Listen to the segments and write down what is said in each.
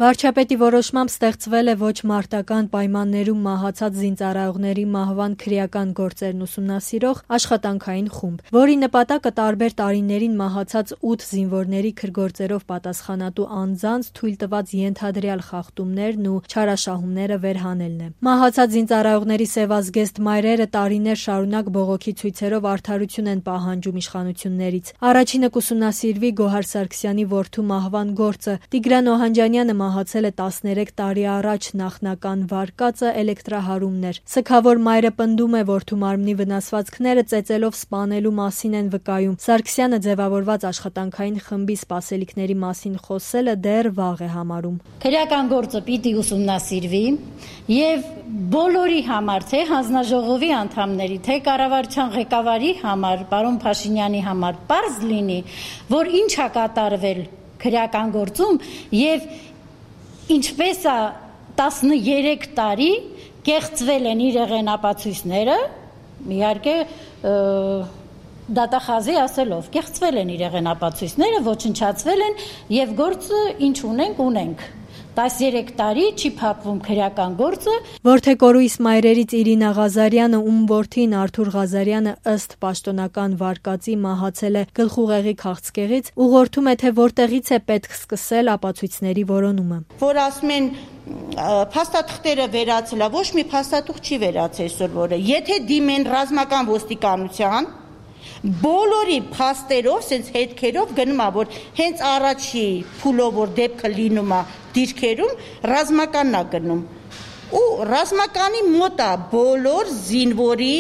Վարչապետի որոշմամբ ստեղծվել է ոչ մարտական պայմաններում մահացած զինծառայողների մահվան քրեական գործերն ուսումնասիրող աշխատանքային խումբ, որի նպատակը տարբեր տարիներին մահացած 8 զինվորների քրգործերով պատասխանատու անձանց թույլ տված ենթադրյալ խախտումներն ու չարաշահումները վերհանելն է։ Մահացած զինծառայողների սևազգեստ մայրերը տարիներ շարունակ բողոքի ցույցերով արդարություն են պահանջում իշխանություններից։ Առաջինը կուսումնասիրվի Գոհար Սարգսյանի որդու մահվան գործը։ Տիգրան Օհանջանյանը մահացել է 13 տարի առաջ, նախնական վարկածը էլեկտրահարումն էր։ Սգավոր մայրը պնդում է, որդու մարմնի վնասվածքները ծեծելով սպանելու մասին են վկայում։ Սարգսյանը ձևավորված աշխատանքային խմբի սպասելիքների մասին խոսելը դեռ վաղ է համարում։ Քրեական գործը պիտի ուսումնասիրվի եւ բոլորի համար, թե հանձնաժողովի անդամների, թե կառավարության ղեկավարի համար, պարոն Փաշինյանի համար պարզ լինի, որ ինչ է կատարվել քրեական գործում եւ ինչպես է 13 տարի կեղծվել են իր եղենապացույցները, իհարկե դատախազի ասելով, կեղծվել են իր եղենապացույցները, ոչնչացվել են եւ գործը ինչ ունենք 13 տարի չի փակվում քրեական գործը։ Որդեկորույս մայրերից Իրինա Ղազարյանը, ում որդին Արթուր Ղազարյանը ըստ պաշտոնական վարկածի մահացել է գլխուղեղի քաղցկեղից, ուղղորդում է, թե որտեղից է պետք սկսել ապացույցների որոնումը։ Որ ասում են փաստաթղթերը վերացել, ոչ մի փաստաթուղթ չի վերացել այսօր, եթե դիմեն ռազմական ոստիկանության, բոլորի փաստերով, sense հետքերով գնում է, որ հենց առաջի փուլով որ դեպքը լինում է դիրքերում, ռազմականն է գնում։ Ու ռազմականի մոտ է բոլոր զինվորի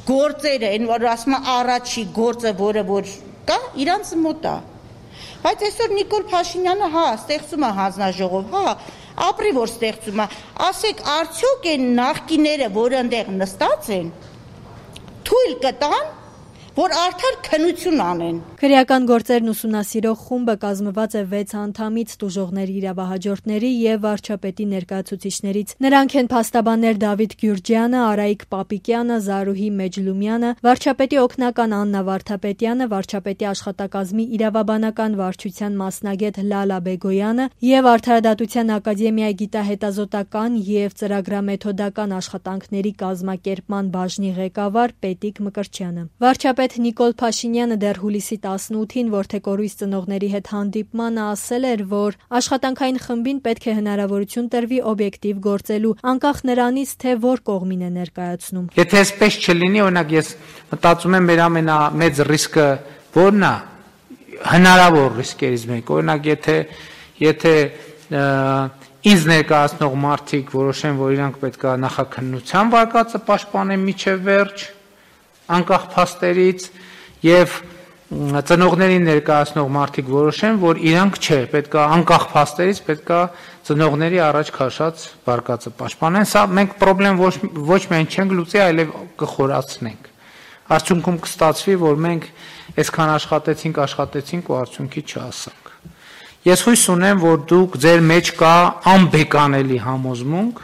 գործերը, այն որ ասում է առաջի գործը, որը որ կա, իրանց մոտ է։ Բայց այսօր Նիկոլ Փաշինյանը, ստեղծում է հանձնաժողով, ապրի որ ստեղծում է, ասեք արդյոք այն նախկիները, որ այնտեղ նստած են, թույլ կտան որ արդար քննություն անեն։ Քրեական գործերն ուսումնասիրող խումբը կազմված է 6 անդամից, տուժողների իրավահաջորդների եւ վարչապետի ներկայացուցիչներից։ Նրանք են փաստաբաններ Դավիթ Գյուրջյանը, Արայիկ Պապիկյանը, Զարուհի Մեջլումյանը, վարչապետի օգնական Աննա Վարդապետյանը, վարչապետի աշխատակազմի իրավաբանական վարչության մասնագետ Լալա Բեգոյանը եւ Արդարադատության ակադեմիայի գիտահետազոտական եւ ծրագրամեթոդական աշխատանքների կազմակերպման բաժնի ղեկավար Պետիկ Մկրտչյանը։ Վարչապետ Նիկոլ Փաշինյանը դեռ հուլիսի 18-ին որդեկորույս ծնողների հետ հանդիպմանը ասել էր, որ աշխատանքային խմբին պետք է հնարավորություն տրվի օբյեկտիվ գործելու, անկախ նրանից, թե որ կողմին է ներկայացնում։ Եթե այսպես չլինի, օրինակ ես մտածում եմ մեր ամենամեծ ռիսկը որն է, հնարավոր ռիսկերից մեկը, օրինակ եթե ինձ ներկայացնող մարդիկ որոշեն, որ իրանք պետք է նախաքննության վարկածը պաշտպանեն մինչև վերջ, անկախ փաստերից, եւ ծնողներին ներկայացնող մարդիկ որոշեն, որ իրանք չէ, պետք է անկախ փաստերից պետք է ծնողների առաջ քաշած վարկածը պաշտպանեն։ Սա մենք խնդրեմ ոչ միայն չենք լուծի, այլև կխորացնենք։ Արդյունքում կստացվի, որ մենք այսքան աշխատեցինք ու արդյունքի չհասանք։ Ես հույս ունեմ, որ դուք ձեր մեջ կա անբեկանելի համոզմունք,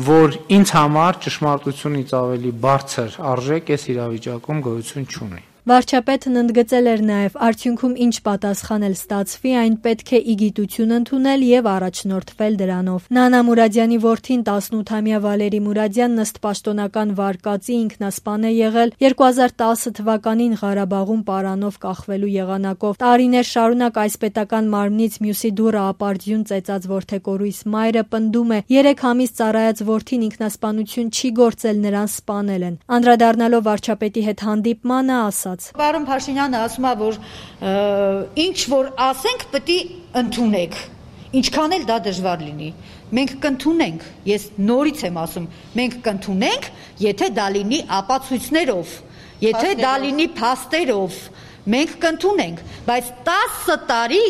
որ ինձ համար ճշմարտությունից ավելի բարձր արժեք այս իրավիճակում գոյություն չունի։ Վարչապետն ընդգծել էր նաև, արդյունքում ինչ պատասխան էլ ստացվի, այն պետք է իգիտություն ընդունել եւ առաջնորդվել դրանով։ Նանա Մուրադյանի որդին 18-ամյա Վալերի Մուրադյանն ըստ պաշտոնական վարկածի ինքնասպան է եղել 2010 թվականին Ղարաբաղում պարանով կախվելու եղանակով։ Տարիներ շարունակ այս պետական մարմնից մյուսի դուռը ապարդյուն ծեծած որդեկորույս մայրը պնդում է 3 ամիս ծառայած որդին ինքնասպանություն չի գործել, նրան սպանել են։ Անդրադառնալով վարչապետի հետ հանդիպմանը ասաց. Պարոն Փաշինյանը ասում է, որ ինչ որ ասենք, պետք է ընդունեք, ինչքան էլ դա դժվար լինի։ Մենք կընդունենք, ես նորից եմ ասում, մենք կընդունենք, եթե դա լինի ապացույցներով, եթե դա լինի փաստերով, մենք կընդունենք, բայց 10 տարի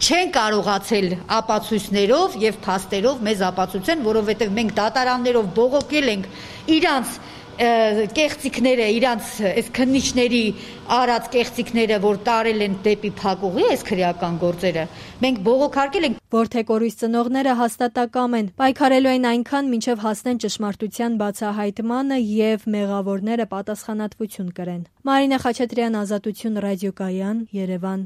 չեն կարողացել ապացույցներով եւ փաստերով մեզ ապացուցեն, որովհետեւ մենք դատարաններով բողոքել ենք իրանց կեղծիքները, իրանց այս քննիչների արած կեղծիքները, որ տարել են դեպի փակուղի այս քրեական գործերը, մենք բողոքարկել ենք։ Որդեկորույս ծնողները հաստատակամ են, պայքարելու են այնքան, մինչև հասնեն ճշմարտության բացահայտմանը եւ մեղավորները պատասխանատվություն կրեն։ Մարինա Խաչատրյան, Ազատություն ռադիոկայան, Երևան։